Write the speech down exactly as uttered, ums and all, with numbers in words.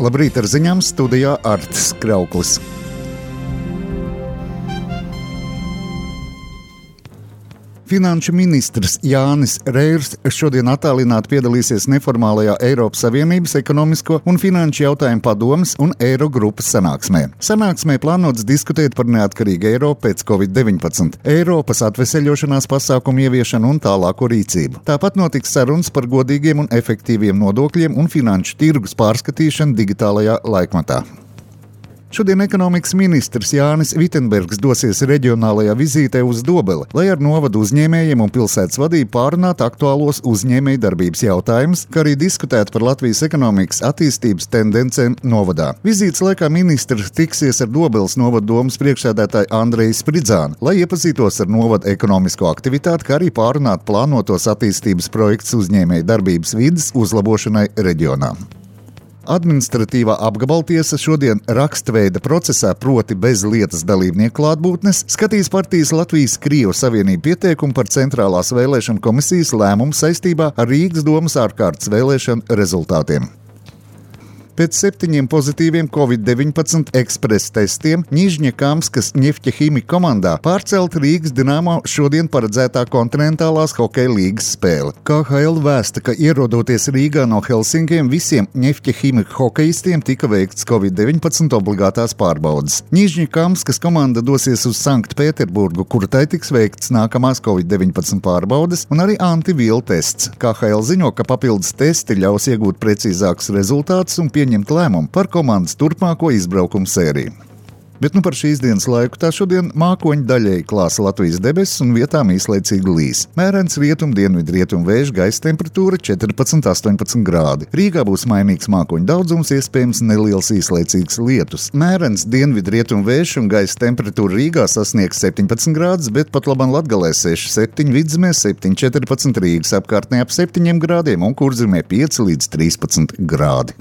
Labrīt, ar ziņām studijā Artis Krauklis. Finanšu ministrs Jānis Reirs šodien attālināti piedalīsies neformālajā Eiropas Savienības ekonomisko un finanšu jautājumu padomes un Eirogrupas sanāksmē. Sanāksmē plānots diskutēt par neatkarīgu Eiropu pēc covid deviņpadsmit, Eiropas atveseļošanās pasākumu ieviešanu un tālāko rīcību. Tāpat notiks sarunas par godīgiem un efektīviem nodokļiem un finanšu tirgus pārskatīšanu digitālajā laikmatā. Šodien ekonomikas ministrs Jānis Vitenbergs dosies reģionālajā vizītē uz Dobeli, lai ar novadu uzņēmējiem un pilsētas vadību pārunātu aktuālos uzņēmēju darbības jautājumus, kā arī diskutētu par Latvijas ekonomikas attīstības tendencēm novadā. Vizītes laikā ministrs tiksies ar Dobeles novada domas priekšsēdētāju Andreju Spridzānu, lai iepazītos ar novada ekonomisko aktivitāti, kā arī pārunātu plānotos attīstības projektus uzņēmēju darbības vides uzlabošanai reģionā. Administratīvā apgabaltiesa šodien rakstveida procesā, proti bez lietas dalībnieku klātbūtnes, skatīs partijas Latvijas-Krievu Savienību pieteikumu par Centrālās vēlēšanu komisijas lēmumu saistībā ar Rīgas domas ārkārtas vēlēšanu rezultātiem. Pēc septiņiem pozitīviem covid deviņpadsmit ekspresa testiem Ņižņakamskas Ņefķaķimika komandā pārcelt Rīgas Dinamo šodien paredzētā kontinentālās hokeja līgas spēle. K H L vēsta, ka ierodoties Rīgā no Helsinkiem, visiem Ņefķaķimika hokejistiem tika veikts covid deviņpadsmit obligātās pārbaudes. Ņižņakamskas komanda dosies uz Sanktpēterburgu, kur tai tiks veikts nākamās covid deviņpadsmit pārbaudes un arī antivielu tests. K H L ziņo, ka papildus testi ļaus iegūt precīzākus rezultātus un pieņemt lēmumu par komandas turpmāko izbraukumu sēriju. Bet nu par šīs dienas laiku tā šodien mākoņi daļēji klāsa Latvijas debesis un vietām īslaicīgi līs. Mērens rietum, dienvidu rietum vēju, gaisa temperatūra četrpadsmit līdz astoņpadsmit grādi. Rīgā būs mainīgs mākoņu daudzums, iespējams neliels īslaicīgs lietus. Mērens dienvidu rietum vēju un gaisa temperatūra Rīgā sasniegs septiņpadsmit grādus, bet pat labam Latgalē seši septiņi, Vidzemē septiņi četrpadsmit, Rīgas apkārtnē ap septiņiem grādiem un Kurzemē pieci līdz trīspadsmit grādi.